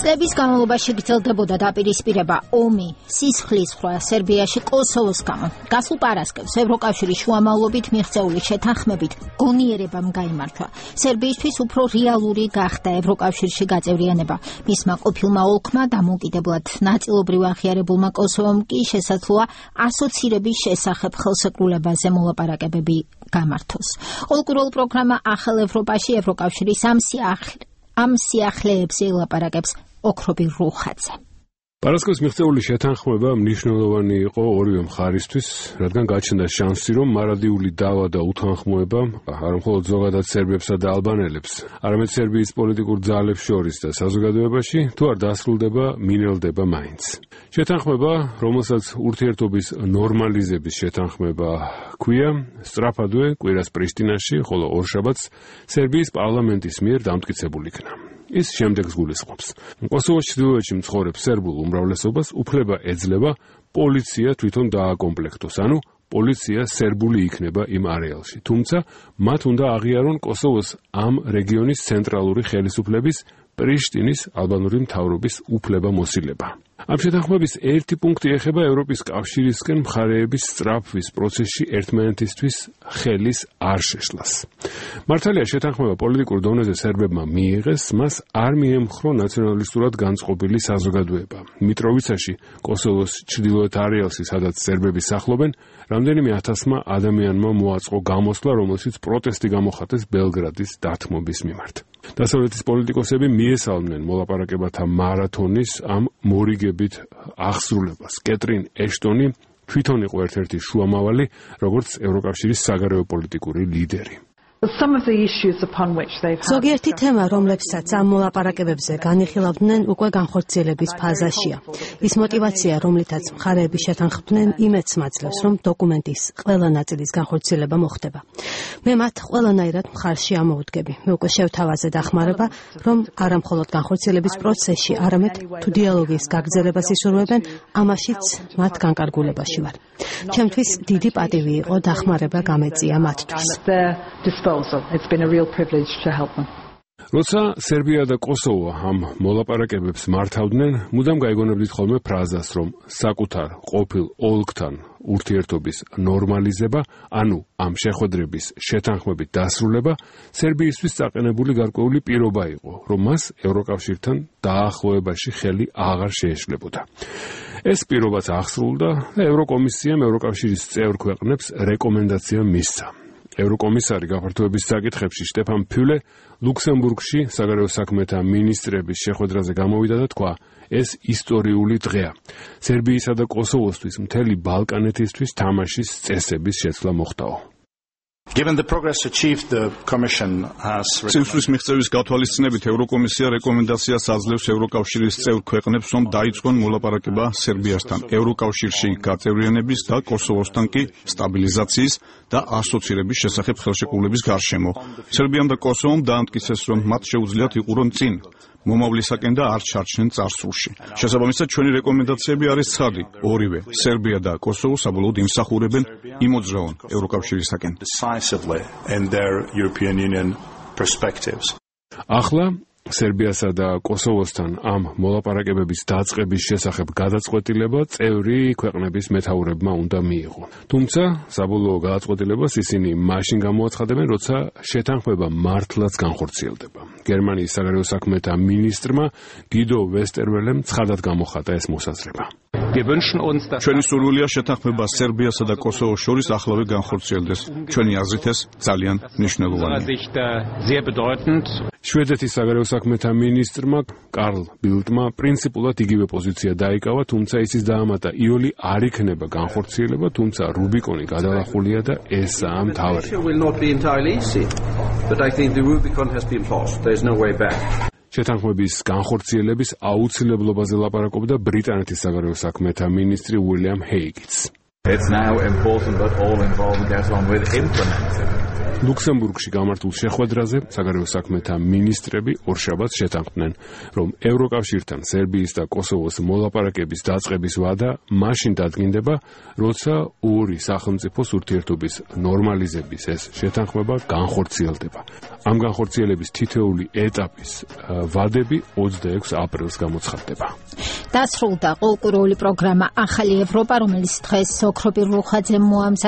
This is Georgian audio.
წლების განმავლობაში გრძელდებოდა დაპირისპირება ომი, სისხლისღვრა სერბიაში კოსოვოს გამო. გასულ პარასკევს ევროკავშირის შუამავლობით მიღწეული შეთანხმებით გონიერებამ გაიმარჯვა. სერბიისთვის უფრო რეალური გახდა ევროკავშირში გაწევრიანება. მისმა ყოფილმა ოლქმა დამოუკიდებლად ნაწილობრივ აღიარებულმა კოსოვომ კი შესაძლოა ასოცირების შესახებ ხელსეკრულებაზე მოლაპარაკებები გამართოს. ოლკურულ პროგრამა ახალ ევროპაში ევროკავშირის ამ სიახლეებზე ელაპარაკებს ოქრობი რუხაძე. პარასკევს მიღწეული შეთანხმება მნიშვნელოვანი იყო ორივე მხარისთვის, რადგან გაჩნდა შანსი, რომ მარადიული დავა და უთანხმოება არა მხოლოდ ზოგადად სერბებსა და ალბანელებს, არამედ სერბიის პოლიტიკურ ძალებს შორის და საზოგადოებაში თუ არ დასრულდება, მინელდება მაინც. შეთანხმება, რომელსაც ურთიერთობის ნორმალიზების შეთანხმება ჰქვია, სწრაფადვე კვირას პრიშტინაში, ხოლო ორშაბათს სერბიის პარლამენტის მიერ დამტკიცებულ იქნა. ის შემდეგს გულისხმობს. კოსოვოს ჩრდილოეთში მცხოვრებ სერბულ უმრავლესობას უფლება ეძლევა პოლიცია თვითონ დააკომპლექტოს, ანუ პოლიცია სერბული იქნება იმ არეალში. თუმცა მათ უნდა აღიარონ კოსოვოს ამ რეგიონის ცენტრალური ხელისუფლების პრიშტინის ალბანური მთავრობის უფლებამოსილება. ამ შეთანხმების ერთი პუნქტი ეხება ევროპის კავშირისკენ მხარეების სწრაფვის პროცესში ერთმანეთისთვის ხელის არ შეშლას. მართალია შეთანხმება პოლიტიკურ დონეზე სერბებმა მიიღეს, მას არ მიემხრო ნაციონალისტურად განწყობილი საზოგადოება. მიტროვიცაში, კოსოვოს ჩრდილოეთ არეალში, სადაც სერბები სახლობენ, რამდენიმე ათასმა ადამიანმა მოაწყო გამოსვლა, რომელშიც პროტესტი გამოხატეს ბელგრადის დათმობის მიმართ. დასავლეთის პოლიტიკოსები მიესალმნენ მოლაპარაკებათა მარათონის ამ მორიგებით აღსრულებას. კეტრინ ეშტონი თვითონ იყო ერთ-ერთი შუამავალი, როგორც ევროკავშირის საგარეო პოლიტიკური ლიდერი. ზოგიერთი თემა, რომლებსაც ამ მოლაპარაკებებზე განიხილავდნენ, უკვე განხორციელების ფაზაშია. ის მოტივაცია, რომლითაც მხარეები შეთანხმდნენ, იმედს მაძლევს, რომ დოკუმენტის ყველა ნაწილის განხორციელება მოხდება. მე მათ ყველანაირად მხარში ამოვდგები. მე უკვე შევთავაზე დახმარება, რომ არა მხოლოდ განხორციელების პროცესში, არამედ თუ დიალოგის გაგრძელებას ისურვებენ, ამაშიც მათ განკარგულებაში ვარ. ჩემთვის დიდი პატივი იყო დახმარება გამეწია მათთვის. It's been a real privilege to help them. როცა სერბია და კოსოვო ამ მოლაპარაკებებს მართავდნენ, მუდამ გაიგონებდით ხოლმე ფრაზას, რომ საკუთარ ყოფილ ოლქთან ურთიერთობის ნორმალიზება, ანუ ამ შეხვედრების შეთანხმებით დასრულება, სერბიისთვის წაყენებული გარკვეული პირობა იყო, რომ მას ევროკავშირთან დაახლოებაში ხელი აღარ შეეშლებოდა. ეს პირობაც აღსრულდა და ევროკომისიამ ევროკავშირის წევრ ქვეყნებს რეკომენდაცია მისცა. ევროკომისარი გაფართოების საკითხებში შტეფან ფიულე ლუქსემბურგში საგარეო საქმეთა მინისტრების შეხვედრაზე გამოვიდა და თქვა, ეს ისტორიული დღეა. სერბიისა და კოსოვოსთვის მთელი ბალკანეთისთვის თამაშის წესების შეცვლა მოხდაო. სისხლის მიღწევის გათვალისწინებით ევროკომისია რეკომენდაციას აძლევს ევროკავშირის წევრ ქვეყნებს, რომ დაიწყონ მოლაპარაკება სერბიასთან ევროკავშირში გაწევრიანების და კოსოვოსთან კი სტაბილიზაციის და ასოცირების შესახებ ხელშეკრულების გარშემო. სერბიამ და კოსოვომ დაამტკიცეს, რომ მათ შეუძლიათ იყურონ წინ მომავლისაკენ და არ ჩარჩნენ წარსულში. შესაბამისად, ჩვენი რეკომენდაციები არის ცხადი. ორივე, სერბია და კოსოვო საბოლოოდ იმსახურებენ იმოძრავონ ევროკავშირისაკენ. ახლა სერბიასა და კოსოვოსთან ამ მოლაპარაკებების დაწყების შესახებ გადაწყვეტილება წევრი ქვეყნების მეთაურებმა უნდა მიიღო. თუმცა საბოლოო გადაწყვეტილებას ისინი მაშინ გამოაცხადებენ, როცა შეთანხმება მართლაც განხორციელდება. გერმანიის საგარეო საქმეთა მინისტრმა გიდო ვესტერველემ ცხადად გამოხატა ეს მოსაზრება. ჩვენი სურვილია შეთანხმება სერბიასა და კოსოვოს შორის ახლავე განხორციელდეს. ჩვენი აზრით ეს ძალიან მნიშვნელოვანია. შვედეთის საგარეო საქმეთა მინისტრმა კარლ ბილდმა პრინციპულად იგივე პოზიცია დაიკავა, თუმცა ისიც დაამატა, იოლი არ იქნება განხორციელება, თუმცა რუბიკონი გადალახულია და ესაა მთავარი. შეთანხმების განხორციელების აუცილებლობაზე ლაპარაკობდა ბრიტანეთის საგარეო საქმეთა მინისტრი უილიამ ჰეიგიც. ლუქსემბურგში გამართულ შეხვედრაზე საგარეო საქმეთა მინისტრები ორშაბათს შეთანხმდნენ, რომ ევროკავშირთან სერბიის და კოსოვოს მოლაპარაკების დაწყების ვადა მაშინ დადგინდება, როცა ორი სახელმწიფოს ურთიერთობის ნორმალიზების ეს შეთანხმება განხორციელდება. ამ განხორციელების თითოეული ეტაპის ვადები 26 აპრილს გამოცხადდება. დასრულდა კულტურული პროგრამა ახალი ევროპა, რომელიც დღეს ოქრობირ რუხაძემ მოამზადა.